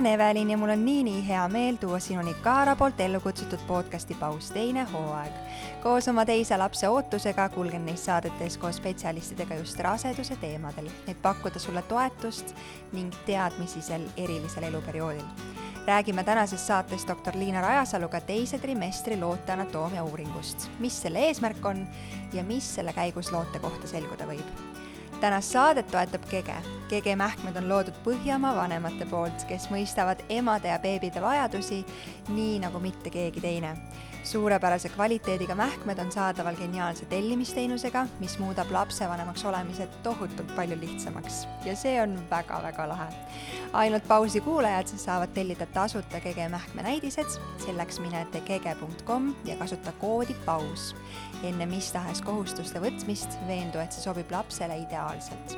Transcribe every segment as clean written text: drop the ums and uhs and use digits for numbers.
olen Evelin ja mul on nii hea meel tuua sinuni Kaara poolt ellu kutsutud podcasti Paus teine hooaeg. Koos oma teise lapse ootusega kulgen neis saadetes koos spetsialistidega just raseduse teemadel, et pakkuda sulle toetust ning teadmisi sel erilisel eluperioodil. Räägime tänases saates doktor Liina Rajasaluga teise trimestri loote anatoomia uuringust, mis selle eesmärk on ja mis selle käigus loote kohta selguda võib. Tänast saadet toetab Kege. Kege mähkmed on loodud Põhjamaa vanemate poolt, kes mõistavad emade ja beebide vajadusi nii nagu mitte keegi teine. Suurepärase kvaliteediga mähkmed on saadaval geniaalse tellimisteenusega, mis muudab lapsevanemaks olemise tohutult palju lihtsamaks. Ja see on väga lahe. Ainult Pausi kuulajad saavad tellida tasuta Kege mähkme näidised, selleks mine kege.com ja kasuta koodi PAUS. Enne mis tahes kohustuste võtmist veendu, et see sobib lapsele ideaalselt.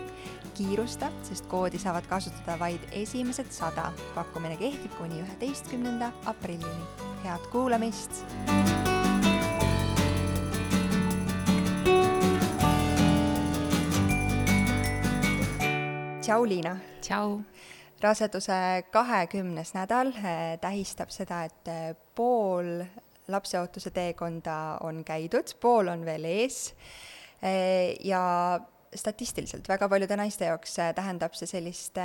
Kiirusta, sest koodi saavad kasutada vaid esimesed 100. Pakkumine kehtib kuni 11. aprillini. Head kuulamist! Tšau, Liina! Tšau! Raseduse 20. nädal tähistab seda, et pool lapseootuse teekonda on käidud, pool on veel ees ja statistiliselt väga paljude naiste jaoks tähendab see sellist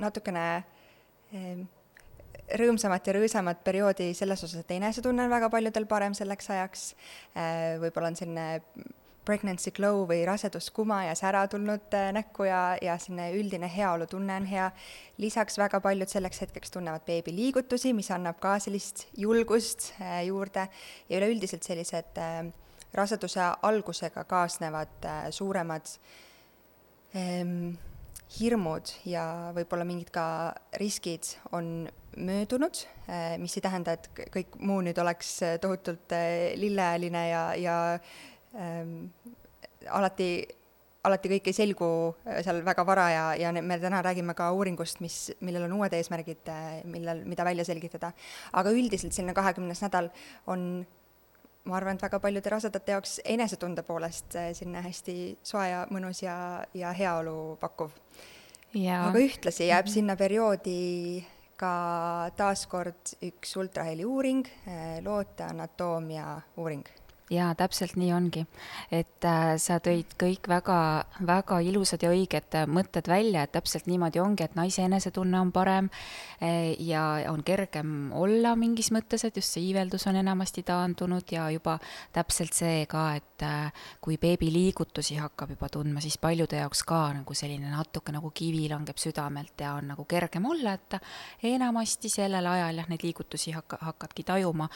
natukene rõõmsamat ja rõõsamat perioodi selles osas, et enesetunne on väga paljudel parem selleks ajaks. Võib-olla on selline pregnancy glow või raseduskuma ja sära tulnud näkku ja selline üldine heaolutunne on hea. Lisaks väga paljud selleks hetkeks tunnevad beebi liigutusi, mis annab ka sellist julgust juurde ja üleüldiselt sellised raseduse algusega kaasnevad suuremad hirmud ja võib-olla mingid ka riskid on möödunud, mis ei tähenda, et kõik muu nüüd oleks tohutult lilleäline ja alati kõik ei selgu seal väga vara ja me täna räägime ka uuringust, millel on uued eesmärgid, mida välja selgitada. Aga üldiselt selline 20. nädal on, ma arvan, et väga paljude rasedate jaoks enesetunde poolest selline hästi soe ja mõnus ja heaolu pakkuv. Aga ühtlasi jääb sinna perioodi ka taaskord üks ultraheli uuring, loote anatoomia uuring. Jaa, täpselt nii ongi, et sa tõid kõik väga ilusad ja õiged mõtted välja, et täpselt niimoodi ongi, et naise enesetunne on parem ja on kergem olla mingis mõttes, et just see iiveldus on enamasti taandunud ja juba täpselt see ka, et kui beebi liigutusi hakkab juba tundma, siis paljude jaoks ka nagu selline natuke nagu kivi langeb südamelt ja on nagu kergem olla, et enamasti sellel ajal neid liigutusi hakkadki tajuma.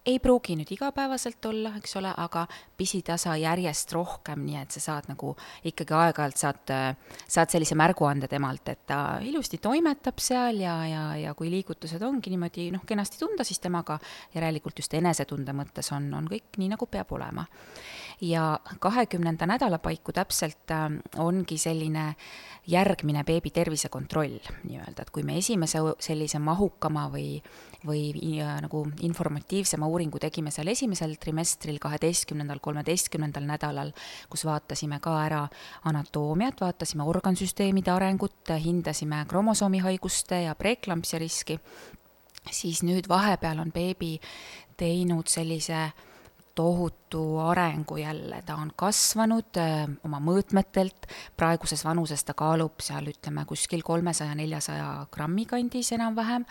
Ei pruugi nüüd igapäevaselt olla, eks ole, aga pisitasa järjest rohkem, nii et sa saad nagu ikkagi aeg-ajalt saad sellise märguande temalt, et ta ilusti toimetab seal ja kui liigutused ongi niimoodi kenasti tunda, siis temaga järelikult just enesetunde mõttes on kõik nii, nagu peab olema. Ja 20. nädala paiku täpselt ongi selline järgmine beebi tervisekontroll, nii-öelda, et kui me esimese sellise mahukama või nagu informatiivsema uuringu tegime seal esimesel trimestril 12. 13. nädalal, kus vaatasime ka ära anatoomiat, vaatasime organsüsteemide arengut, hindasime kromosoomihaiguste ja preeklampsia riski, siis nüüd vahepeal on beebi teinud sellise tohutu arengu jälle, ta on kasvanud oma mõõtmetelt, praeguses vanuses ta kaalub seal ütleme kuskil 300-400 grammi kandis enam-vähem,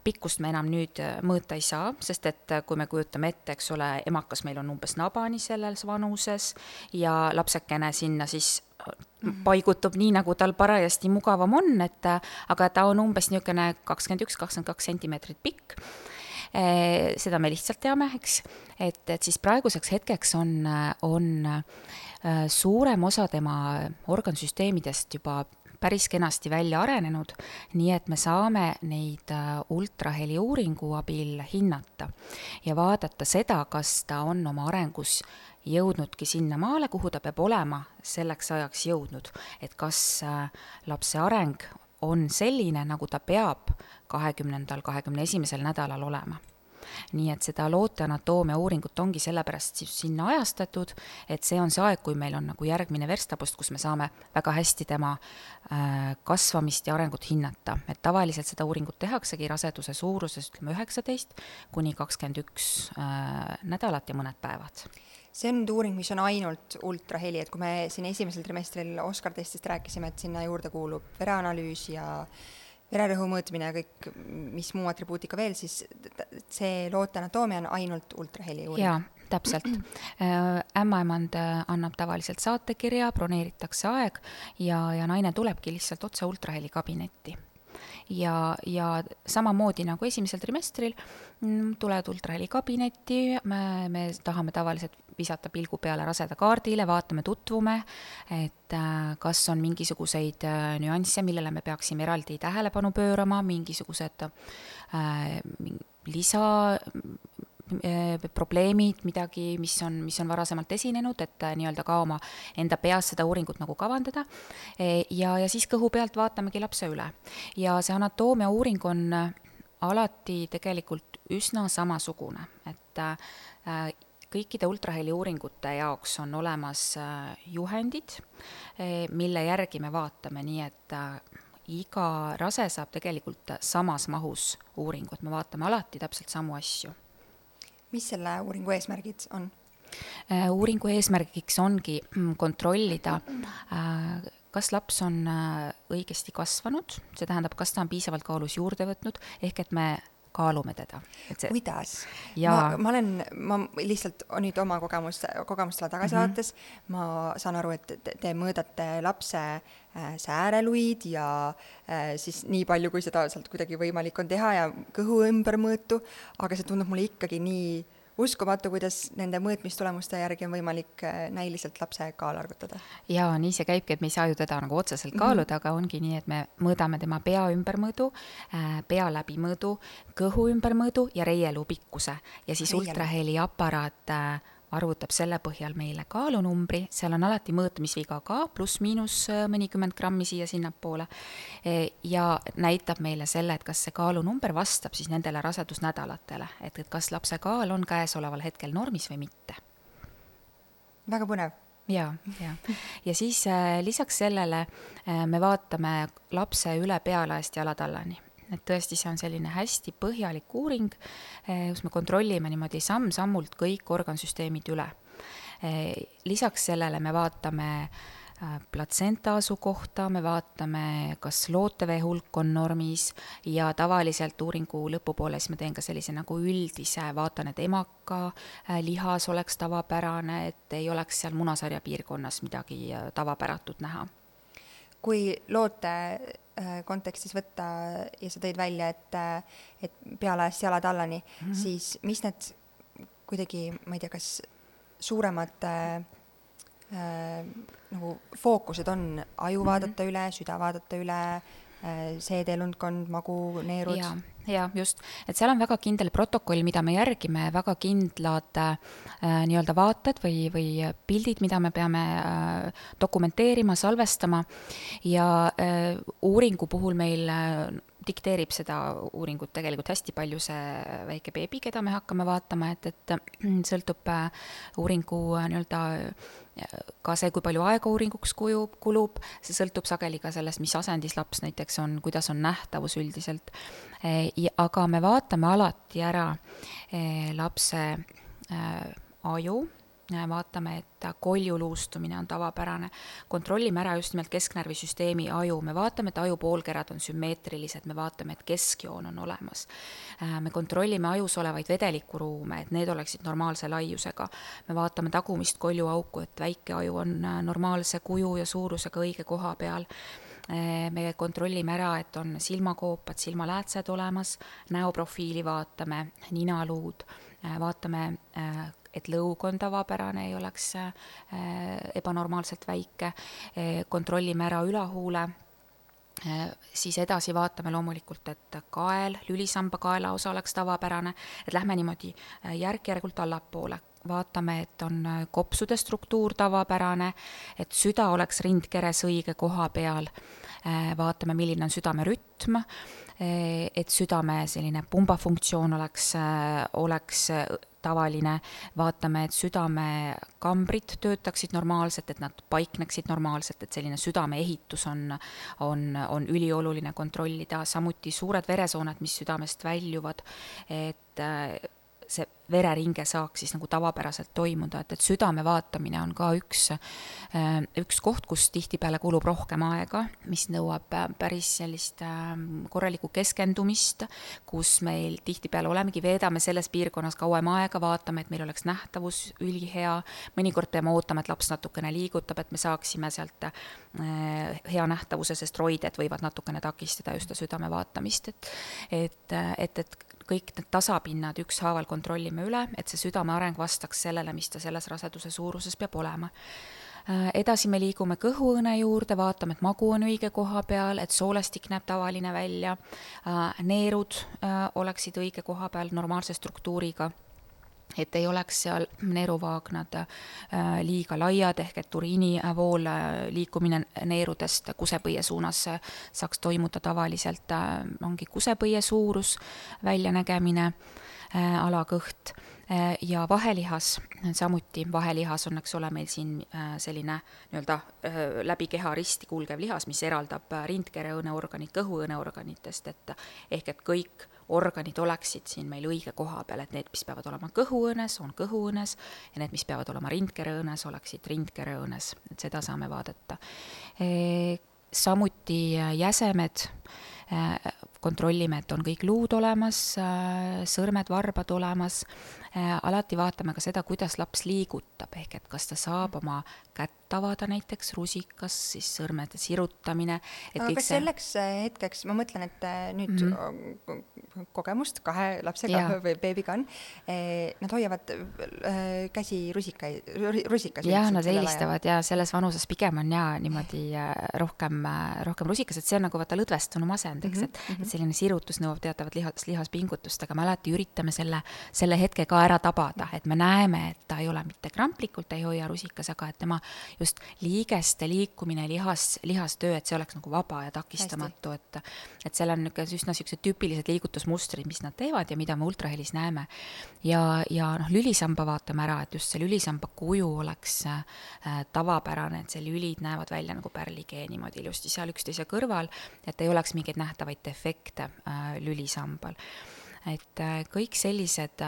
pikkust me enam nüüd mõõta ei saa, sest et kui me kujutame ette, eks ole, emakas meil on umbes nabani selles vanuses ja lapsekene sinna siis paigutub nii, nagu tal parajasti mugavam on, aga ta on umbes niisugune 21-22 sentimeetrit pikk. Seda me lihtsalt teame, eks, et siis praeguseks hetkeks on suurem osa tema organsüsteemidest juba päris kenasti välja arenenud, nii et me saame neid ultraheli uuringu abil hinnata ja vaadata seda, kas ta on oma arengus jõudnudki sinna maale, kuhu ta peab olema selleks ajaks jõudnud, et kas lapse areng on selline, nagu ta peab 20. 21. nädalal olema. nii et seda loote anatoomia uuringut ongi sellepärast siis sinna ajastatud, et see on see aeg, kui meil on nagu järgmine verstapost, kus me saame väga hästi tema kasvamist ja arengut hinnata. Et tavaliselt seda uuringut tehaksegi raseduse suuruses 19 kuni 21 nädalat ja mõned päevad. See on nüüd uuring, mis on ainult ultraheli, et kui me siin esimesel trimestril Oscar testist rääkisime, et sinna juurde kuulub vereanalüüs ja vererõhu mõõtmine ja kõik, mis muu atribuutika veel, siis see loote anatoomia on ainult ultraheli uuring. Jaa, täpselt. Ämmaemand annab tavaliselt saatekirja, broneeritakse aeg ja naine tulebki lihtsalt otse ultraheli kabinetti. Ja samamoodi nagu esimesel trimestril tuled ultraheli kabinetti, me tahame tavaliselt visata pilgu peale raseda kaardile, vaatame, tutvume, et kas on mingisuguseid nüansse, millele me peaksime eraldi tähelepanu pöörama, mingisugused probleemid, midagi, mis on varasemalt esinenud, et nii-öelda ka oma enda peas seda uuringut nagu kavandada. Ja siis kõhu pealt vaatamegi lapse üle. Ja see anatoomia uuring on alati tegelikult üsna samasugune, et kõikide ultraheli uuringute jaoks on olemas juhendid, mille järgi me vaatame, nii et iga rase saab tegelikult samas mahus uuringut, me vaatame alati täpselt samu asju. Mis selle uuringu eesmärgid on? Uuringu eesmärgiks ongi kontrollida, kas laps on õigesti kasvanud, see tähendab, kas ta on piisavalt kaalus juurde võtnud, ehk et me kaalume teda. Kuidas? Ja... Ma lihtsalt nüüd oma kogemustele tagasi vaates, ma saan aru, et te mõõdate lapse sääreluid ja siis nii palju, kui seda sealt kuidagi võimalik on teha ja kõhu ümber mõõtu, aga see tundub mulle ikkagi nii uskumatu, kuidas nende mõõtmistulemuste järgi on võimalik näiliselt lapse kaal arvutada. Jaa, nii see käibki, et me ei saa ju teda nagu otseselt kaaluda, aga ongi nii, et me mõõdame tema pea ümbermõõdu, pea läbimõõdu, kõhu ümbermõõdu ja reieluu pikkuse. Ja siis ultraheli aparaat arvutab selle põhjal meile kaalunumbri, seal on alati mõõtmisviga ka, pluss-miinus mõnikümmend grammi siia sinnapoole ja näitab meile selle, et kas see kaalunumber vastab siis nendele rasedusnädalatele, et kas lapse kaal on käesoleval hetkel normis või mitte. Väga põnev. Ja siis lisaks sellele me vaatame lapse üle pealaest jalatallani. Et tõesti see on selline hästi põhjalik uuring, kus me kontrollime niimoodi samm-sammult kõik organsüsteemid üle. Lisaks sellele me vaatame platsenta asukohta, me vaatame, kas lootevee hulk on normis ja tavaliselt uuringu lõpupoole siis ma teen ka sellise nagu üldise, vaatan, et emaka lihas oleks tavapärane, et ei oleks seal munasarja piirkonnas midagi tavapäratut näha. Kui loote kontekstis võtta ja sa tõid välja, et pealaest jalatallani, siis mis need kuidagi, ma ei tea, kas suuremad nagu fookused on aju vaadata üle, süda vaadata üle, seedeelundkond, magu, neerud? Ja just, et seal on väga kindel protokoll, mida me järgime, väga kindlad nii-öelda vaated või pildid, mida me peame dokumenteerima, salvestama ja uuringu puhul meil dikteerib seda uuringut tegelikult hästi palju see väike beebi, keda me hakkame vaatama, et sõltub uuringu nii-öelda ka see, kui palju aega uuringuks kulub, see sõltub sageli ka sellest, mis asendis laps näiteks on, kuidas on nähtavus üldiselt. Aga me vaatame alati ära lapse aju, vaatame, et kolju luustumine on tavapärane, kontrollime ära just nimelt kesknärvisüsteemi aju, me vaatame, et aju poolkerad on sümmeetrilised, me vaatame, et keskjoon on olemas. Me kontrollime ajus olevaid vedelikuruume, et need oleksid normaalse laiusega. Me vaatame tagumist koljuauku, et väike aju on normaalse kuju ja suurusega õige koha peal. Me kontrollime ära, et on silmakoopad, silmaläätsed olemas, näoprofiili vaatame, ninaluud, vaatame, et lõug on tavapärane, ei oleks ebanormaalselt väike, kontrollime ära ülahuule, siis edasi vaatame loomulikult, et kael, lülisamba kaela osa oleks tavapärane, et lähme niimoodi järk-järgult allapoole. Vaatame, et on kopsude struktuur tavapärane, et süda oleks rindkeres õige koha peal vaatame, milline on südame rütm, et südame selline pumbafunktsioon oleks tavaline, vaatame, et südamekambrid töötaksid normaalselt, et nad paikneksid normaalselt, et selline südame ehitus on ülioluline kontrollida, samuti suured veresooned, mis südamest väljuvad, et see vereringe saaks siis nagu tavapäraselt toimuda, et südame vaatamine on ka üks koht, kus tihtipeale kulub rohkem aega, mis nõuab päris sellist korralikku keskendumist, kus meil tihtipeale veedame selles piirkonnas kauem aega, vaatame, et meil oleks nähtavus ülihea, mõnikord peame ootama, et laps natukene liigutab, et me saaksime sealt hea nähtavuse, sest roided võivad natukene takistada just südame vaatamist, et kõik need tasapinnad ükshaaval kontrollime üle, et see südame areng vastaks sellele, mis ta selles raseduse suuruses peab olema. Edasi me liigume kõhuõõne juurde, vaatame, et magu on õige koha peal, et soolestik näeb tavaline välja, neerud oleksid õige koha peal normaalse struktuuriga, et ei oleks seal neeruvaagnad liiga laiad, ehk et uriinivool liikumine neerudest kusepõie suunas saaks toimuda tavaliselt, ongi kusepõie suurus, väljanägemine, alakõht ja vahelihas, samuti vahelihas on, eks ole, meil siin selline nii-öelda läbi keha risti kulgev lihas, mis eraldab rindkereõõneorganid kõhuõõneorganitest, ehk et kõik organid oleksid siin meil õige koha peal, et need, mis peavad olema kõhuõõnes, on kõhuõõnes ja need, mis peavad olema rindkereõõnes, oleksid rindkereõõnes, et seda saame vaadata. Samuti jäsemed, kontrollime, et on kõik luud olemas, sõrmed, varbad olemas, alati vaatame ka seda, kuidas laps liigutab, ehk et kas ta saab oma kätt avada näiteks rusikas, siis sõrmede sirutamine. Aga kas selleks hetkeks, ma mõtlen, et nüüd kogemust 2 lapsega või beebiga on, nad hoiavad käsi rusikas. Jah, nad eelistavad ja selles vanuses pigem on niimoodi rohkem rusikas, et see on nagu vaata lõdvestunu masend, eks, et selline sirutus nõuab teatavat lihaspingutust, aga me alati üritame selle hetke ka ära tabada, et me näeme, et ta ei ole mitte kramplikult, ta ei hoia rusikas, aga et tema just liigeste liikumine, lihastöö, et see oleks nagu vaba ja takistamatu, et seal on üsna sellised tüüpilised liigutusmustrid, mis nad teevad ja mida me ultrahelis näeme. Ja lülisamba vaatame ära, et just see lülisamba kuju oleks tavapärane, et see lülid näevad välja nagu pärlikee niimoodi ilusti seal üksteise kõrval, et ei oleks mingeid nähtavaid defekte lülisambal. Et kõik sellised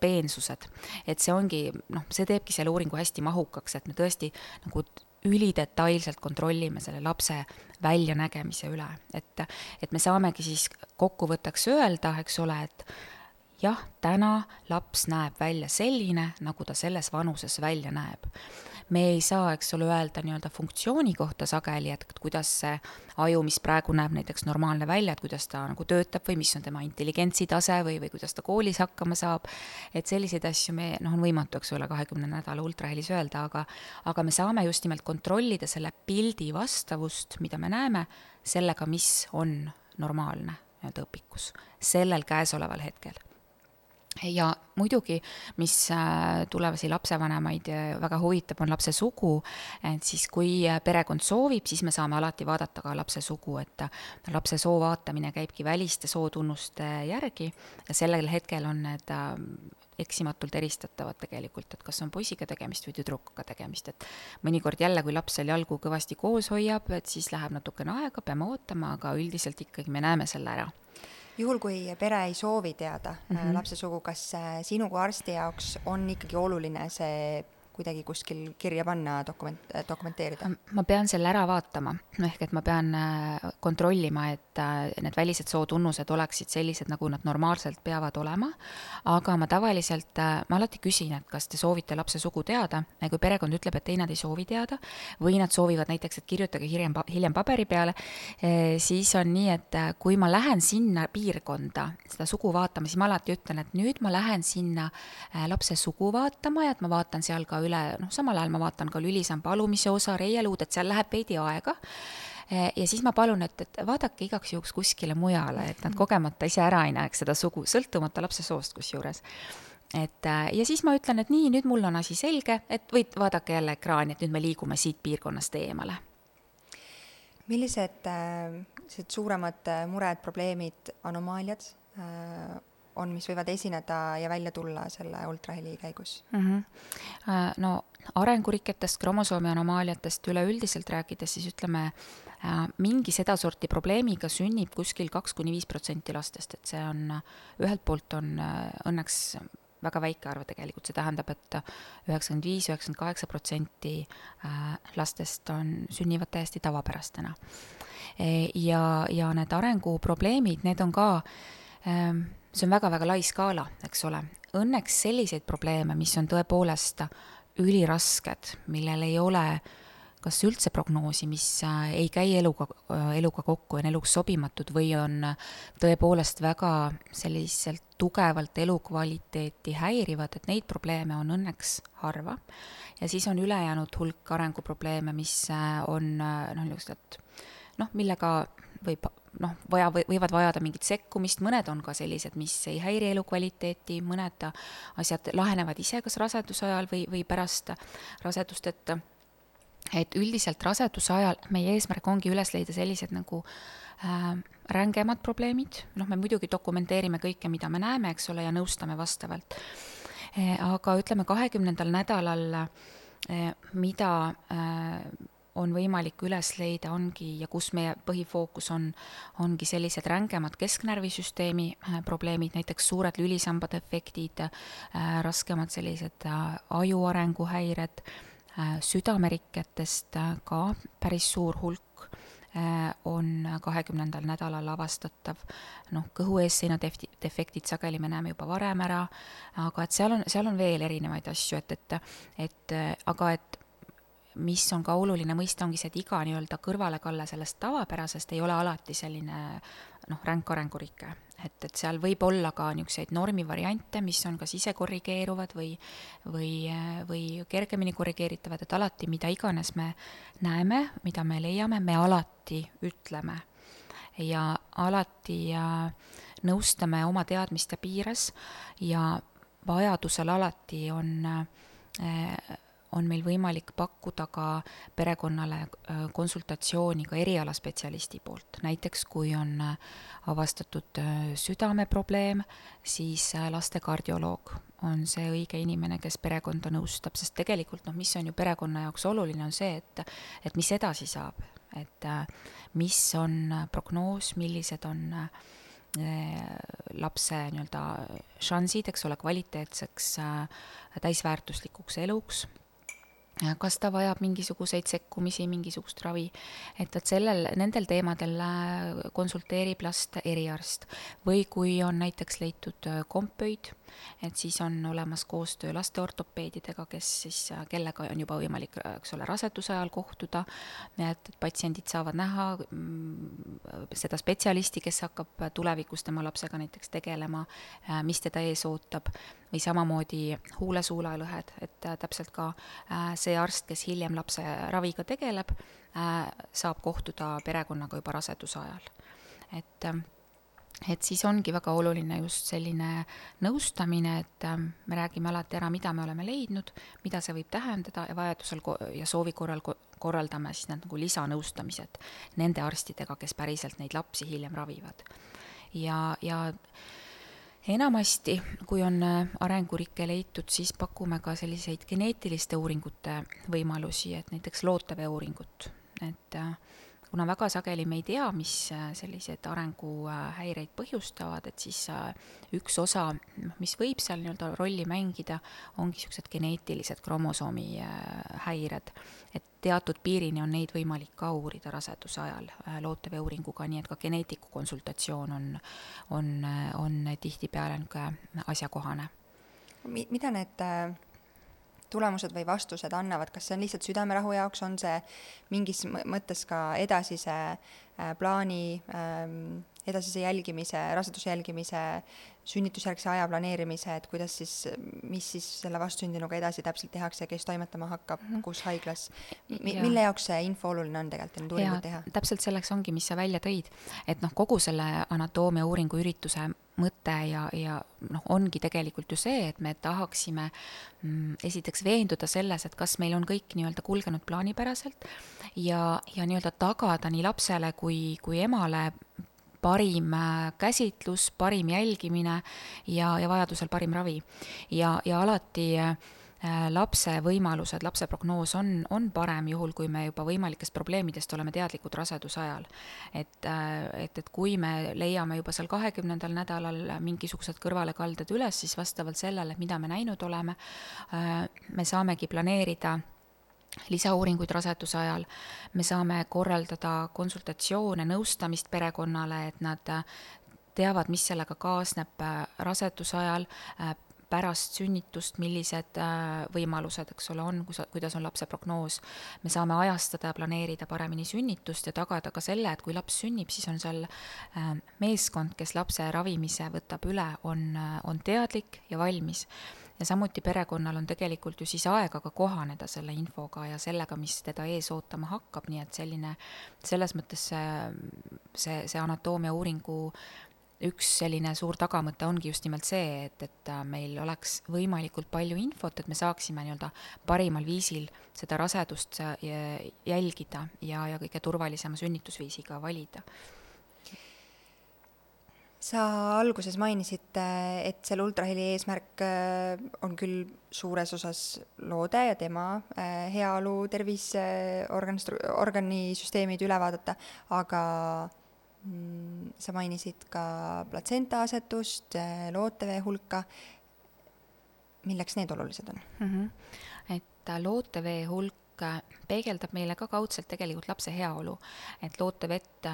peensused, et see ongi, see teebki selle uuringu hästi mahukaks, et me tõesti nagu ülidetailselt kontrollime selle lapse väljanägemise üle, et me saamegi siis kokkuvõtteks öelda, eks ole, et jah, täna laps näeb välja selline, nagu ta selles vanuses välja näeb. Me ei saa, eks ole, öelda nii-öelda funktsiooni kohta sageli, et kuidas see aju, mis praegu näeb näiteks normaalne välja, et kuidas ta nagu töötab või mis on tema intelligentsitase või kuidas ta koolis hakkama saab, et selliseid asju on võimatu, eks ole, 20 nädala ultrahelis öelda, aga me saame just nimelt kontrollida selle pildi vastavust, mida me näeme, sellega, mis on normaalne õpikus sellel käesoleval hetkel. Ja muidugi, mis tulevasi lapsevanemaid väga huvitab, on lapse sugu, et siis kui perekond soovib, siis me saame alati vaadata ka lapse sugu, et lapse soo vaatamine käibki väliste sootunnuste järgi ja sellel hetkel on need eksimatult eristatavad tegelikult, et kas on poisiga tegemist või tüdrukuga tegemist, et mõnikord jälle, kui laps seal jalgu kõvasti koos hoiab, et siis läheb natukene aega, peame ootama, aga üldiselt ikkagi me näeme selle ära. Juhul, kui pere ei soovi teada lapse sugu, kas sinu kui arsti jaoks on ikkagi oluline see kuidagi kuskil kirja panna, dokumenteerida? Ma pean selle ära vaatama, ehk et ma pean kontrollima, et need välised sootunnused oleksid sellised, nagu nad normaalselt peavad olema, aga ma tavaliselt, ma alati küsin, et kas te soovite lapse sugu teada, ja kui perekond ütleb, et ei, nad ei soovi teada, või nad soovivad näiteks, et kirjutage hiljem paberi peale, siis on nii, et kui ma lähen sinna piirkonda seda sugu vaatama, siis ma alati ütlen, et nüüd ma lähen sinna lapse sugu vaatama ja et ma vaatan seal ka üle, samal ajal ma vaatan ka lülisamba alumise osa, reieluud, et seal läheb veidi aega ja siis ma palun, et vaadake igaks juhuks kuskile mujale, et nad kogemata ise ära ei näeks seda sugu, sõltumata lapse soost kusjuures. Ja siis ma ütlen, et nii, nüüd mul on asi selge, et vaadake jälle ekraani, et nüüd me liigume siit piirkonnast eemale. millised sellised suuremad mured, probleemid, anomaaliad on, mis võivad esineda ja välja tulla selle ultraheli käigus? No arenguriketest, kromosoomi anomaaliatest üleüldiselt rääkides, siis ütleme, mingi sedasorti probleemiga sünnib kuskil 2-5% lastest, et see on, ühelt poolt on õnneks väga väike arv tegelikult, see tähendab, et 95-98% lastest sünnivad täiesti tavapärastena. Ja need arenguprobleemid, need on ka, see on väga-väga lai skaala, eks ole. Õnneks selliseid probleeme, mis on tõepoolest ülirasked, millel ei ole kas üldse prognoosi, mis ei käi eluga kokku, on eluks sobimatud või on tõepoolest väga selliselt tugevalt elukvaliteeti häirivad, et neid probleeme on õnneks harva. Ja siis on ülejäänud hulk arenguprobleeme, mis on millega võivad vajada mingit sekkumist, mõned on ka sellised, mis ei häiri elukvaliteeti, mõned asjad lahenevad ise kas raseduse ajal või pärast rasedust, et üldiselt raseduse ajal meie eesmärk ongi üles leida sellised nagu rängemad probleemid, me muidugi dokumenteerime kõike, mida me näeme, eks ole, ja nõustame vastavalt. Aga ütleme 20. nädalal, mida on võimalik üles leida, ja kus meie põhifookus ongi sellised rängemad kesknärvisüsteemi probleemid, näiteks suured lülisambade efektid, raskemad sellised ajuarenguhäired, südameriketest ka päris suur hulk on 20. nädalal avastatav, kõhueesseina defektid sageli me näeme juba varem ära, aga et seal on veel erinevaid asju, aga mis on ka oluline mõista, ongi see, et iga nii-öelda kõrvalekalle sellest tavapärasest ei ole alati selline ränk arengurike. Et seal võib olla ka niisuguseid normivariante, mis on kas ise korrigeeruvad või kergemini korrigeeritavad, et alati, mida iganes me näeme, mida me leiame, me alati ütleme. Ja alati nõustame oma teadmiste piires ja vajadusel alati on meil võimalik pakkuda ka perekonnale konsultatsiooni ka erialaspetsialisti poolt. Näiteks kui on avastatud südameprobleem, siis lastekardioloog on see õige inimene, kes perekonda nõustab, sest tegelikult mis on ju perekonna jaoks oluline, on see, et mis edasi saab, et mis on prognoos, millised on lapse nii-öelda šansid, eks ole, kvaliteetseks täisväärtuslikuks eluks, kas ta vajab mingisuguseid sekkumisi, mingisugust ravi, et nendel teemadel konsulteerib last eriarst. Või kui on näiteks leitud kompöid, et siis on olemas koostöö lasteortopeedidega, kellega on juba võimalik, eks ole, raseduse ajal kohtuda, et patsiendid saavad näha seda spetsialisti, kes hakkab tulevikus tema lapsega näiteks tegelema, mis teda ees ootab, või samamoodi huule-suulalõhed, et täpselt ka see arst, kes hiljem lapse raviga tegeleb, saab kohtuda perekonnaga juba raseduse ajal. Et siis ongi väga oluline just selline nõustamine, et me räägime alati ära, mida me oleme leidnud, mida see võib tähendada ja vajadusel ja soovi korral korraldame siis need nagu lisanõustamised nende arstidega, kes päriselt neid lapsi hiljem ravivad. Ja enamasti, kui on arengurikke leitud, siis pakume ka selliseid geneetiliste uuringute võimalusi, et näiteks lootevee uuringut. Et kuna väga sageli me ei tea, mis sellised arenguhäireid põhjustavad, et siis üks osa, mis võib seal nii-öelda rolli mängida, ongi sellised geneetilised kromosoomi häired. Et teatud piirini on neid võimalik ka uurida raseduse ajal lootevee uuringuga, nii et ka geneetiku konsultatsioon on tihtipeale asjakohane. Mida need tulemused või vastused annavad, kas see on lihtsalt südamerahu jaoks, on see mingis mõttes ka edasise plaani, edasise jälgimise, raseduse jälgimise, sünnitusjärgse aja planeerimise, et mis siis selle vastsündinuga edasi täpselt tehakse, kes toimetama hakkab, kus haiglas, mille jaoks see info oluline on tegelikult neid uuringuid teha? Täpselt selleks ongi, mis sa välja tõid, et kogu selle anatoomia uuringu ürituse mõte ja ongi tegelikult ju see, et me tahaksime esiteks veenduda selles, et kas meil on kõik nii-öelda kulgenud plaanipäraselt ja nii-öelda tagada nii lapsele kui emale parim käsitlus, parim jälgimine ja vajadusel parim ravi. Ja alati lapse võimalused, lapse prognoos on parem juhul, kui me juba võimalikest probleemidest oleme teadlikud raseduse ajal. Et kui me leiame juba seal 20. nädalal mingisugused kõrvalekalded üles, siis vastavalt sellele, mida me näinud oleme, me saamegi planeerida lisauuringuid raseduse ajal, me saame korraldada konsultatsioone, nõustamist perekonnale, et nad teavad, mis sellega kaasneb raseduse ajal, pärast sünnitust, millised võimalused, eks ole, on, kuidas on lapse prognoos. Me saame ajastada ja planeerida paremini sünnitust ja tagada ka selle, et kui laps sünnib, siis on seal meeskond, kes lapse ravimise võtab üle, on teadlik ja valmis. Ja samuti perekonnal on tegelikult ju siis aega ka kohaneda selle infoga ja sellega, mis teda ees ootama hakkab, nii et selles mõttes see anatoomia uuringu üks selline suur tagamõte ongi just nimelt see, et meil oleks võimalikult palju infot, et me saaksime nii-öelda parimal viisil seda rasedust jälgida ja kõige turvalisema sünnitusviisiga valida. Sa alguses mainisid, et selle ultraheli eesmärk on küll suures osas loode ja tema heaolu, tervis, organisüsteemid üle vaadata, aga sa mainisid ka platsenta asetust, lootevee hulka. Milleks need olulised on? Et lootevee hulk peegeldab meile ka kaudselt tegelikult lapse heaolu, et lootevett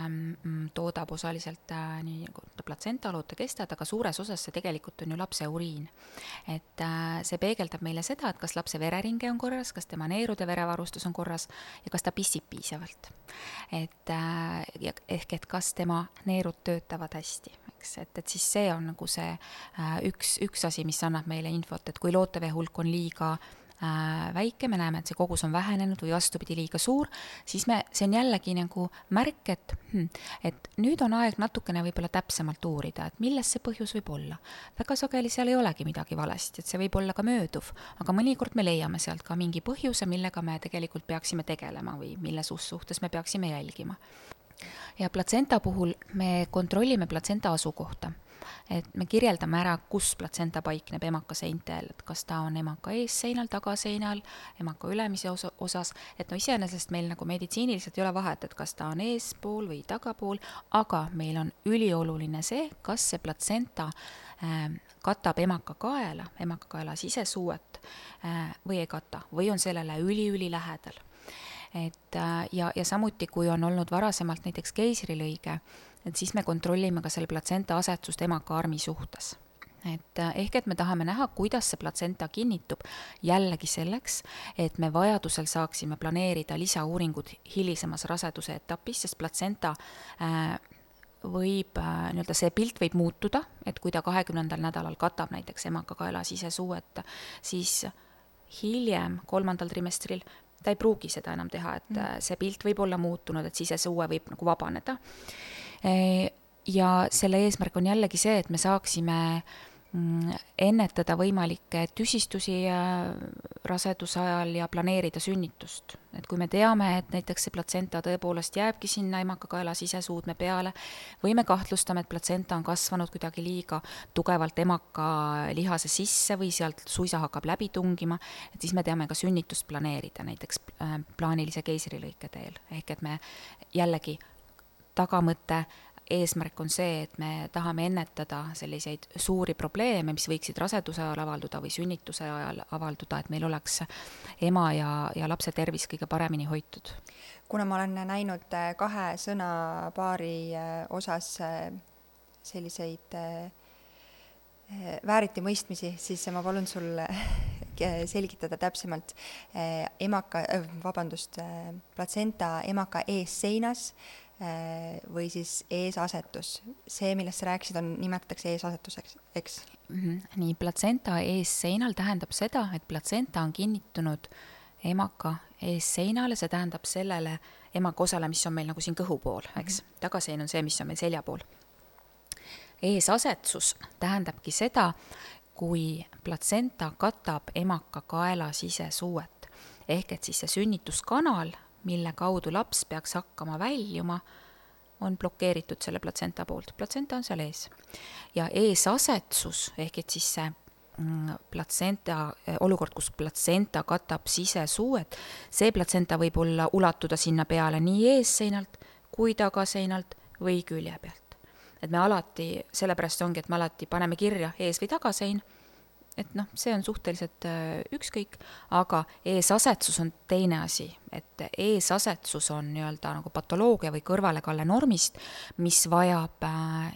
toodab osaliselt nii platsenta, lootekestad, aga suures osas see tegelikult on ju lapse uriin. Et see peegeldab meile seda, et kas lapse vereringe on korras, kas tema neerude verevarustus on korras ja kas ta pissib piisavalt. Ehk et kas tema neerud töötavad hästi, eks? Et siis see on nagu see üks asi, mis annab meile infot, et kui lootevee hulk on liiga väike, me näeme, et see kogus on vähenenud või vastupidi liiga suur, siis see on jällegi nagu märk, et nüüd on aeg natukene võib-olla täpsemalt uurida, et milles see põhjus võib olla. Väga sageli seal ei olegi midagi valesti, et see võib olla ka mööduv, aga mõnikord me leiame sealt ka mingi põhjuse, millega me tegelikult peaksime tegelema või mille suhtes me peaksime jälgima. Ja platsenta puhul me kontrollime platsenta asukohta. Et me kirjeldame ära, kus platsenta paikneb emaka seintel, et kas ta on emaka eesseinal, tagaseinal, emaka ülemise osas, et iseenesest meil nagu meditsiiniliselt ei ole vahet, et kas ta on eespool või tagapool, aga meil on ülioluline see, kas see platsenta katab emaka kaela sisesuuet või ei kata, või on sellele üli lähedal. Ja samuti, kui on olnud varasemalt näiteks keisrilõige, et siis me kontrollime ka selle platsenta asetsust emaka armi suhtes. Ehk et me tahame näha, kuidas see platsenta kinnitub jällegi selleks, et me vajadusel saaksime planeerida lisauuringud hilisemas raseduse etapis, sest platsenta nii-öelda see pilt võib muutuda, et kui ta 20. nädalal katab näiteks emaka kaela sisesuuet, siis hiljem 3. trimestril ta ei pruugi seda enam teha, et see pilt võib olla muutunud, et sisesuue võib nagu vabaneda. Ja selle eesmärk on jällegi see, et me saaksime ennetada võimalikke tüsistusi raseduse ajal ja planeerida sünnitust. Et kui me teame, et näiteks see platsenta tõepoolest jääbki sinna emaka kaela sisesuudme peale või me kahtlustame, et platsenta on kasvanud kuidagi liiga tugevalt emaka lihase sisse või sealt suisa hakkab läbi tungima, et siis me teame ka sünnitust planeerida näiteks plaanilise keisrilõike teel. Ehk et me jällegi tagamõte eesmärk on see, et me tahame ennetada selliseid suuri probleeme, mis võiksid raseduse ajal avalduda või sünnituse ajal avalduda, et meil oleks ema ja lapse tervis kõige paremini hoitud. Kuna ma olen näinud 2 sõnapaari osas selliseid vääriti mõistmisi, siis ma palun sul selgitada täpsemalt platsenta emaka eesseinas või siis eesasetus. See, millest sa rääkisid, nimetatakse eesasetuseks, eks? Nii, platsenta eesseinal tähendab seda, et platsenta on kinnitunud emaka eesseinale, see tähendab sellele emaka osale, mis on meil nagu siin kõhu pool, eks? Tagasein on see, mis on meil selja pool. Eesasetsus tähendabki seda, kui platsenta katab emaka kaela sisesuuet. Ehk et siis see sünnituskanal, mille kaudu laps peaks hakkama väljuma, on blokeeritud selle platsenta poolt. Platsenta on seal ees. Ja eesasetsus, ehk et siis see olukord, kus platsenta katab sisesuuet, see platsenta võib olla ulatuda sinna peale nii eesseinalt kui tagaseinalt või külje pealt. Et me alati, sellepärast ongi, et me alati paneme kirja ees- või tagasein, et see on suhteliselt ükskõik, aga eesasetsus on teine asi, et eesasetsus on nii-öelda nagu patoloogia või kõrvalekalle normist, mis vajab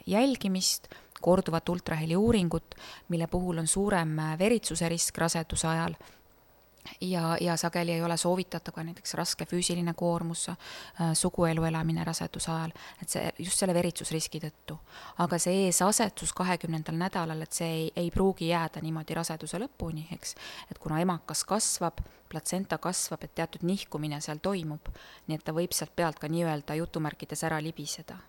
jälgimist, korduvat ultraheliuuringut, mille puhul on suurem veritsuse risk raseduse ajal ja sageli ei ole soovitatav ka näiteks raske füüsiline koormus, suguelu elamine raseduse ajal, et see just selle veritsusriski tõttu. Aga see eesasetsus 20. nädalal, et see ei pruugi jääda niimoodi raseduse lõpuni, eks, et kuna emakas kasvab, platsenta kasvab, et teatud nihkumine seal toimub, nii et ta võib sealt pealt ka nii-öelda jutumärkides ära libiseda.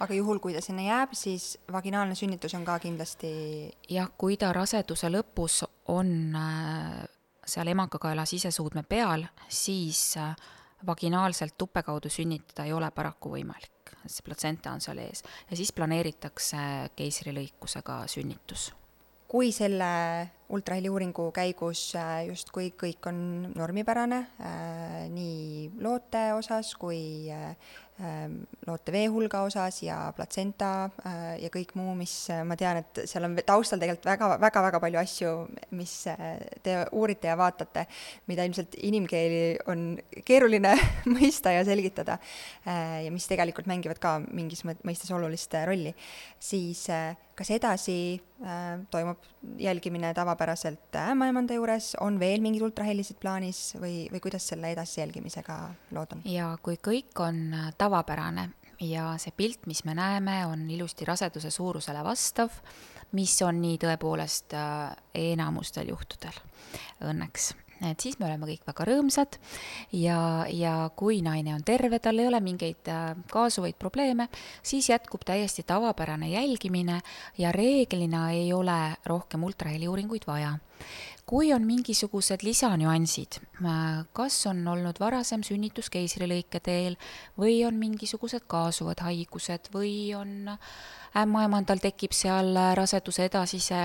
Aga juhul, kui ta sinna jääb, siis vaginaalne sünnitus on ka kindlasti... Jah, kui ta raseduse lõpus on seal emakakaela sisesuudme peal, siis vaginaalselt tuppe kaudu sünnitada ei ole paraku võimalik. See platsenta on seal ees. Ja siis planeeritakse keisrilõikusega sünnitus. Kui selle ultraheliuuringu käigus justkui kõik on normipärane, nii loote osas kui loote veehulga osas ja platsenta ja kõik muu, mis ma tean, et seal on taustal tegelikult väga palju asju, mis te uurite ja vaatate, mida ilmselt inimkeeli on keeruline mõista ja selgitada ja mis tegelikult mängivad ka mingis mõistes olulist rolli, siis kas edasi toimub jälgimine tavapäraselt ämmaemanda juures, on veel mingid ultrahelisid plaanis või kuidas selle edasi jälgimisega lood on? Ja kui kõik on tavapärane ja see pilt, mis me näeme, on ilusti raseduse suurusele vastav, mis on nii tõepoolest enamustel juhtudel õnneks. Et siis me oleme kõik väga rõõmsad ja kui naine on terve, tal ei ole mingeid kaasuvaid probleeme, siis jätkub täiesti tavapärane jälgimine ja reeglina ei ole rohkem ultraheliuuringuid vaja. Kui on mingisugused lisanüansid, kas on olnud varasem sünnitus keisrilõike teel või on mingisugused kaasuvad haigused või on ämmaemandal tekib seal raseduse edasise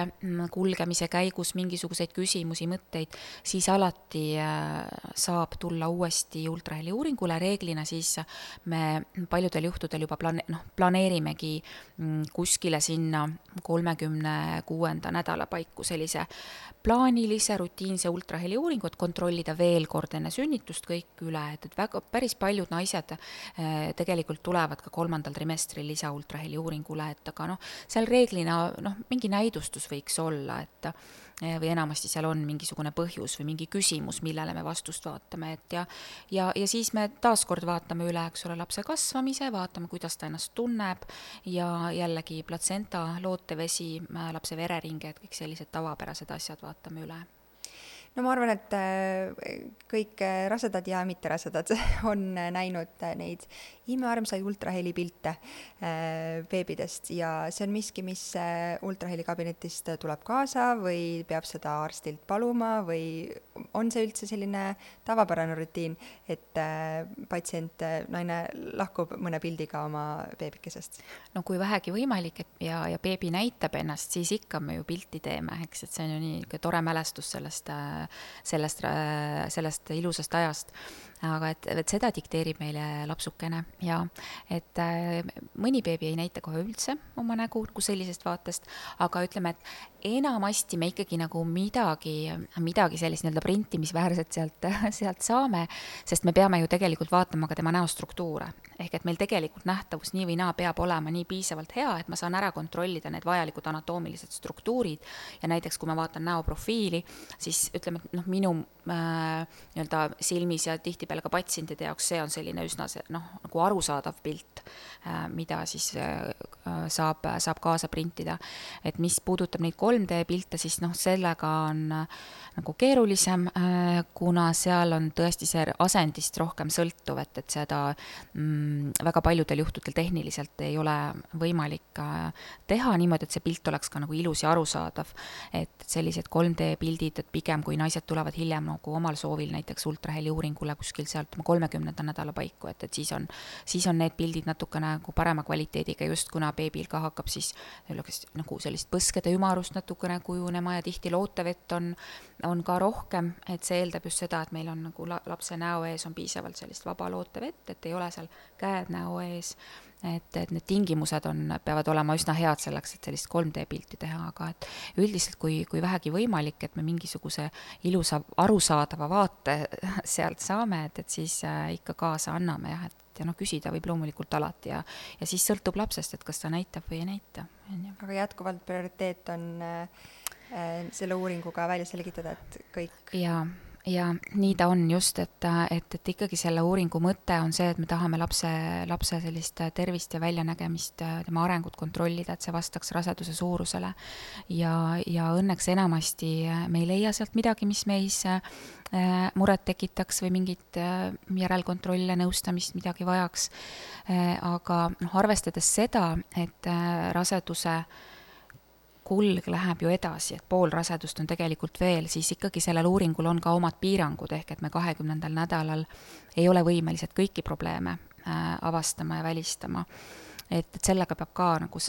kulgemise käigus mingisuguseid küsimusi, mõtteid, siis alati saab tulla uuesti ultraheliuuringule. Reeglina siis me paljudel juhtudel juba planeerimegi kuskile sinna 36. nädala paiku sellise plaanilise rutiinse ultraheliuuringu, et kontrollida veel kord enne sünnitust kõik üle, et päris paljud naised tegelikult tulevad ka 3. trimestril lisa ultraheliuuringule, et aga seal reeglina mingi näidustus võiks olla, et või enamasti seal on mingisugune põhjus või mingi küsimus, millele me vastust vaatame, et ja siis me taaskord vaatame üle, eks ole, lapse kasvamise, vaatame, kuidas ta ennast tunneb ja jällegi platsenta, lootevesi, lapse vereringe, et kõik sellised tavapärased asjad vaatame üle. No ma arvan, et kõik rasedad ja mitterasedad on näinud neid imearmsaid ultrahelipilte beebidest ja see on miski, mis ultrahelikabinetist tuleb kaasa või peab seda arstilt paluma või on see üldse selline tavapärane rutiin, et patsient, naine lahkub mõne pildiga oma beebikesest? No kui vähegi võimalik ja beebi näitab ennast, siis ikka me ju pilti teeme, eks, et see on ju nii tore mälestus sellest ilusast ajast. Aga et seda dikteerib meile lapsukene ja et mõni beebi ei näita kohe üldse oma nägu kui sellisest vaatest, aga ütleme, et enamasti me ikkagi nagu midagi sellist nii-öelda printimisväärset sealt saame, sest me peame ju tegelikult vaatama ka tema näostruktuure. Ehk et meil tegelikult nähtavus nii või naa peab olema nii piisavalt hea, et ma saan ära kontrollida need vajalikud anatoomilised struktuurid ja näiteks kui ma vaatan näoprofiili, siis ütleme, et minu nii-öelda silmis ja tihtipeale ka patsientide jaoks see on selline üsna nagu arusaadav pilt, mida siis saab kaasa printida. Et mis puudutab neid 3D pilte, siis sellega on nagu keerulisem, kuna seal on tõesti see asendist rohkem sõltuv, et seda väga paljudel juhtudel tehniliselt ei ole võimalik teha niimoodi, et see pilt oleks ka nagu ilus ja arusaadav. Et sellised 3D pildid, et pigem kui naised tulevad hiljem nagu omal soovil näiteks ultraheli uuringule kuskil sealt 30. nädala paiku, et siis on need pildid natukene nagu parema kvaliteediga, just kuna beebil ka hakkab siis nagu sellist põskede ümarust natukene kujunema ja tihti lootevett on ka rohkem, et see eeldab just seda, et meil on nagu lapse näo ees on piisavalt sellist vaba lootevett, et ei ole seal käed näo ees, et need tingimused peavad olema üsna head selleks, et sellist 3D pilti teha, aga et üldiselt kui vähegi võimalik, et me mingisuguse ilusa arusaadava vaate sealt saame, et siis ikka kaasa anname jah, ja küsida võib loomulikult alati ja siis sõltub lapsest, et kas ta näitab või ei näita. Aga jätkuvalt prioriteet on selle uuringuga välja selgitada, et kõik... Ja nii ta on just, et ikkagi selle uuringu mõte on see, et me tahame lapse sellist tervist ja väljanägemist, tema arengut kontrollida, et see vastaks raseduse suurusele. Ja õnneks enamasti me ei leia sealt midagi, mis meis muret tekitaks või mingit järelkontrolle, nõustamist, midagi vajaks. Aga arvestades seda, et raseduse kulg läheb ju edasi, et pool rasedust on tegelikult veel, siis ikkagi sellel uuringul on ka omad piirangud, ehk et me 20. nädalal ei ole võimelised kõiki probleeme avastama ja välistama. Et sellega peab ka nagu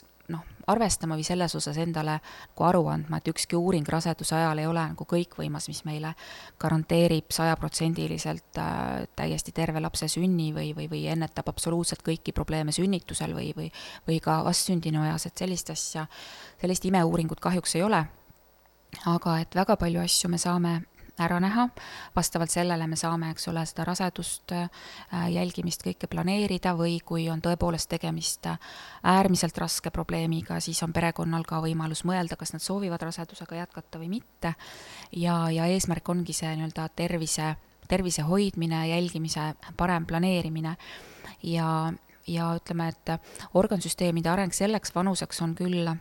arvestama või selles osas endale nagu aru andma, et ükski uuring raseduse ajal ei ole nagu kõikvõimas, mis meile garanteerib 100% täiesti terve lapse sünni või ennetab absoluutselt kõiki probleeme sünnitusel või ka vastsündinu ajas, et sellist imeuuringut kahjuks ei ole. Aga et väga palju asju me saame ära näha, vastavalt sellele me saame, eks ole, seda rasedust jälgimist kõike planeerida või kui on tõepoolest tegemist äärmiselt raske probleemiga, siis on perekonnal ka võimalus mõelda, kas nad soovivad rasedusega jätkata või mitte. Ja eesmärk ongi see nii-öelda tervise hoidmine, jälgimise parem planeerimine ja ütleme, et organsüsteemide areng selleks vanuseks on küll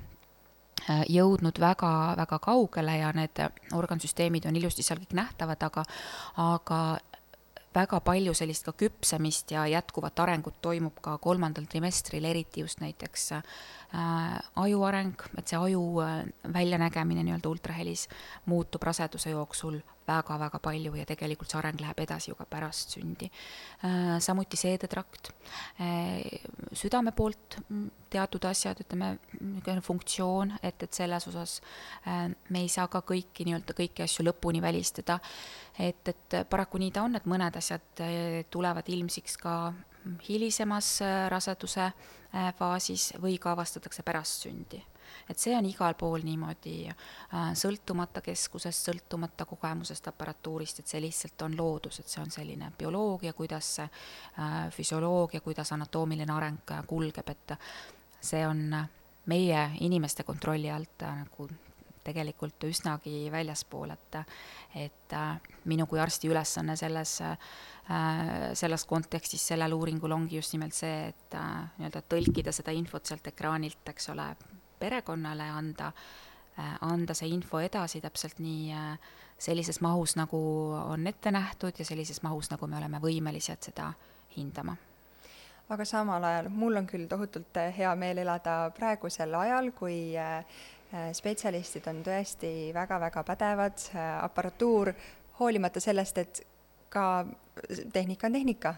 jõudnud väga, väga kaugele ja need organsüsteemid on ilusti seal kõik nähtavad, aga väga palju sellist ka küpsemist ja jätkuvat arengut toimub ka 3. trimestril, eriti just näiteks aju areng, et see aju väljanägemine nii-öelda ultrahelis muutub raseduse jooksul väga-väga palju ja tegelikult see areng läheb edasi ju ka pärast sündi. Samuti seedetrakt, südame poolt teatud asjad, ütleme, funktsioon, et selles osas me ei saa ka kõiki asju lõpuni välistada, et paraku nii ta on, et mõned asjad tulevad ilmsiks ka hilisemas raseduse faasis või ka avastatakse pärast sündi. Et see on igal pool niimoodi sõltumata keskusest, sõltumata kogemusest, aparatuurist, et see lihtsalt on loodus, et see on selline bioloogia, kuidas füsioloogia, kuidas anatoomiline areng kulgeb, et see on meie inimeste kontrolli alt nagu tegelikult üsnagi väljaspool, et minu kui arsti ülesanne selles kontekstis sellel uuringul ongi just nimelt see, et nii-öelda tõlkida seda infot sealt ekraanilt, eks ole, perekonnale anda see info edasi täpselt nii sellises mahus, nagu on ette nähtud ja sellises mahus, nagu me oleme võimelised seda hindama. Aga samal ajal mul on küll tohutult hea meel elada praegusel ajal, kui spetsialistid on tõesti väga-väga pädevad, aparatuur, hoolimata sellest, et ka tehnika on tehnika,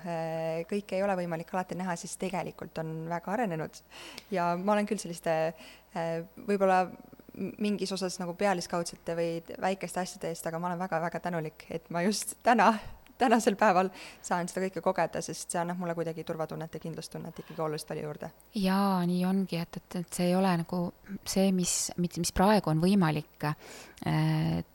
kõik ei ole võimalik alati näha, siis tegelikult on väga arenenud. Ja ma olen küll selliste võib-olla mingis osas nagu pealiskaudsete või väikeste asjade eest, aga ma olen väga-väga tänulik, et ma just tänasel päeval saan seda kõike kogeda, sest see annab mulle kuidagi turvatunnet ja kindlustunnet ikkagi oluliselt palju juurde. Jaa, nii ongi, et see ei ole nagu see, mis praegu on võimalik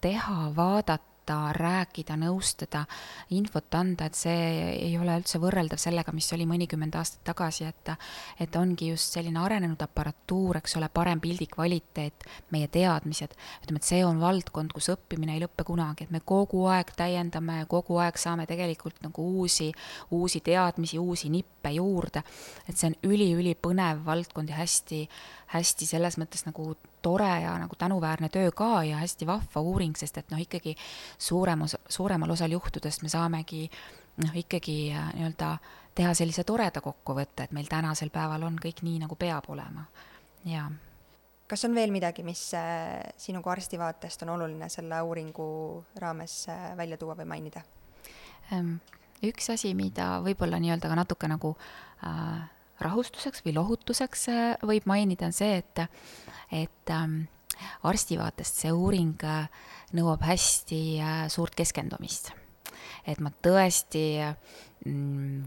teha, vaadata aidata, rääkida, nõustada, infot anda, et see ei ole üldse võrreldav sellega, mis oli mõnikümmend aastat tagasi, et ongi just selline arenenud aparatuur, eks ole, parem pildi kvaliteet, meie teadmised, ütleme, et see on valdkond, kus õppimine ei lõppe kunagi, et me kogu aeg täiendame, kogu aeg saame tegelikult nagu uusi teadmisi, uusi nippe juurde, et see on üli-põnev valdkond ja hästi selles mõttes nagu tore ja nagu tänuväärne töö ka ja hästi vahva uuring, sest et ikkagi suuremal osal juhtudest me saamegi ikkagi nii-öelda teha sellise toreda kokkuvõtte, et meil tänasel päeval on kõik nii, nagu peab olema. Ja. Kas on veel midagi, mis sinu kui arsti vaatest on oluline selle uuringu raames välja tuua või mainida? Üks asi, mida võib-olla nii-öelda ka natuke nagu rahustuseks või lohutuseks võib mainida, on see, et arsti vaatest see uuring nõuab hästi suurt keskendumist. Et ma tõesti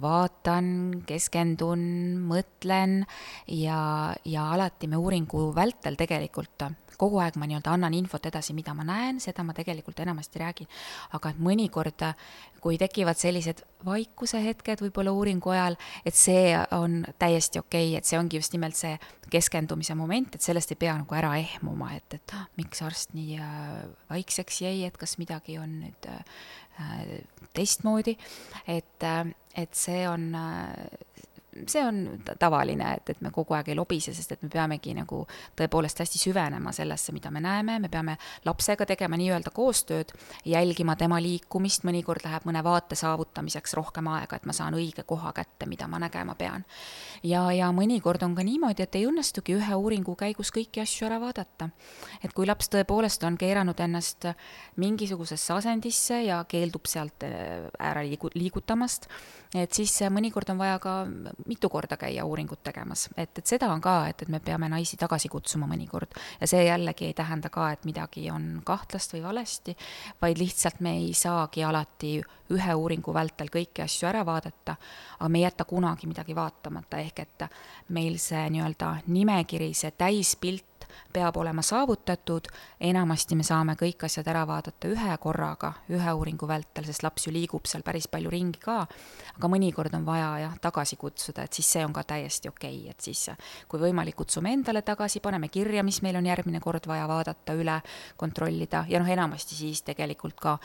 vaatan, keskendun, mõtlen ja alati me uuringu vältel tegelikult kogu aeg ma nii-öelda annan infot edasi, mida ma näen, seda ma tegelikult enamasti räägin. Aga mõnikord, kui tekivad sellised vaikuse hetked võib-olla uuringu ajal, et see on täiesti okei, et see ongi just nimelt see keskendumise moment, et sellest ei pea nagu ära ehmuma, et miks arst nii vaikseks jäi, et kas midagi on nüüd teistmoodi, et see on tavaline, et me kogu aeg ei lobise, sest et me peamegi nagu tõepoolest hästi süvenema sellesse, mida me näeme, me peame lapsega tegema nii-öelda koostööd, jälgima tema liikumist, mõnikord läheb mõne vaate saavutamiseks rohkem aega, et ma saan õige koha kätte, mida ma nägema pean. Ja mõnikord on ka niimoodi, et ei õnnestugi ühe uuringu käigus kõiki asju ära vaadata. Et kui laps tõepoolest on keeranud ennast mingisugusesse asendisse ja keeldub sealt ära liigutamast, et siis mõnikord on vaja ka mitu korda käia uuringut tegemas, et seda on ka, et me peame naisi tagasi kutsuma mõnikord ja see jällegi ei tähenda ka, et midagi on kahtlast või valesti, vaid lihtsalt me ei saagi alati ühe uuringu vältel kõiki asju ära vaadata, aga me ei jäta kunagi midagi vaatamata, ehk et meil see nii-öelda nimekiri, see täispilt peab olema saavutatud, enamasti me saame kõik asjad ära vaadata ühe korraga, ühe uuringu vältel, sest laps ju liigub seal päris palju ringi ka, aga mõnikord on vaja tagasi kutsuda, et siis see on ka täiesti okei, et siis kui võimalik kutsume endale tagasi, paneme kirja, mis meil on järgmine kord vaja vaadata, üle kontrollida ja enamasti siis tegelikult ka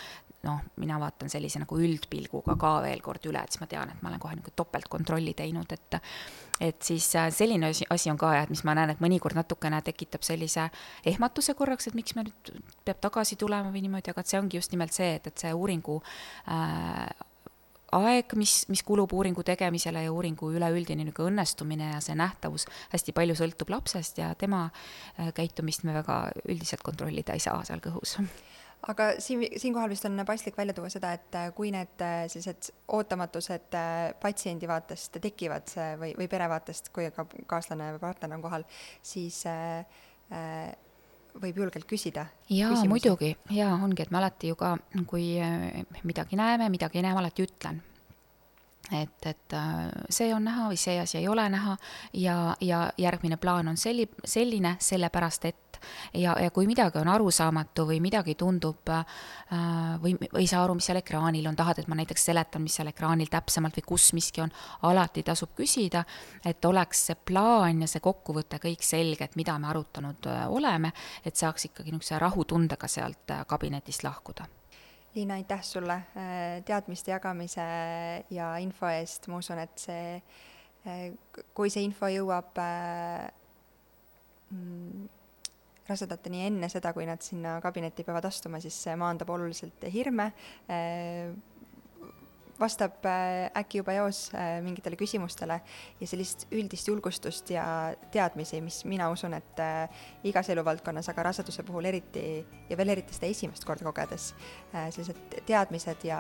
mina vaatan sellise nagu üldpilguga ka veel kord üle, et siis ma tean, et ma olen kohe nagu topeltkontrolli teinud, et siis selline asi on ka, et mis ma näen, et mõnikord natukene tekitab sellise ehmatuse korraks, et miks me nüüd peab tagasi tulema või niimoodi, aga see ongi just nimelt see, et see uuringu aeg, mis kulub uuringu tegemisele ja uuringu üleüldine õnnestumine ja see nähtavus hästi palju sõltub lapsest ja tema käitumist me väga üldiselt kontrollida ei saa seal kõhus. Aga siinkohal vist on paslik välja tuua seda, et kui need sellised ootamatused patsiendi vaatest tekivad või pere vaatest, kui ka kaaslane või partner on kohal, siis võib julgelt küsida. Jaa, küsimusi. Muidugi. Jaa, ongi, et me alati ju ka, kui midagi näeme, midagi ei näe, ma alati ütlen. Et see on näha või see asi ei ole näha ja järgmine plaan on selline, sellepärast et ja kui midagi on arusaamatu või midagi tundub või ei saa aru, mis seal ekraanil on, tahad, et ma näiteks seletan, mis seal ekraanil täpsemalt või kus miski on, alati tasub küsida, et oleks see plaan ja see kokkuvõte kõik selge, et mida me arutanud oleme, et saaks ikkagi niisuguse rahutundega sealt kabinetist lahkuda. Liina, aitäh sulle teadmiste jagamise ja info eest. Ma usun, et kui see info jõuab rasedateni enne seda, kui nad sinna kabinetti peavad astuma, siis see maandab oluliselt hirme, vastab äkki juba eos mingitele küsimustele ja sellist üldist julgustust ja teadmisi, mis mina usun, et igas eluvaldkonnas, aga raseduse puhul eriti ja veel eriti seda esimest korda kogedes, sellised teadmised ja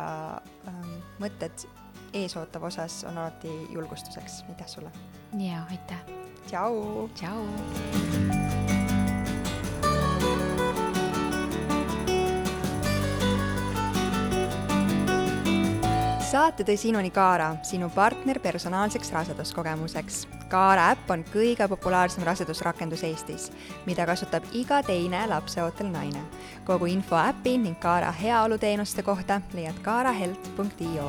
mõtted eesootava osas on alati julgustuseks. Aitäh sulle! Jaa, aitäh! Tšau! Tšau! Saate tõi sinuni Kaara, sinu partner personaalseks raseduskogemuseks. Kaara äpp on kõige populaarsem rasedusrakendus Eestis, mida kasutab iga teine lapseootel naine. Kogu info äpi ning Kaara heaoluteenuste kohta leiad kaarahelt.io.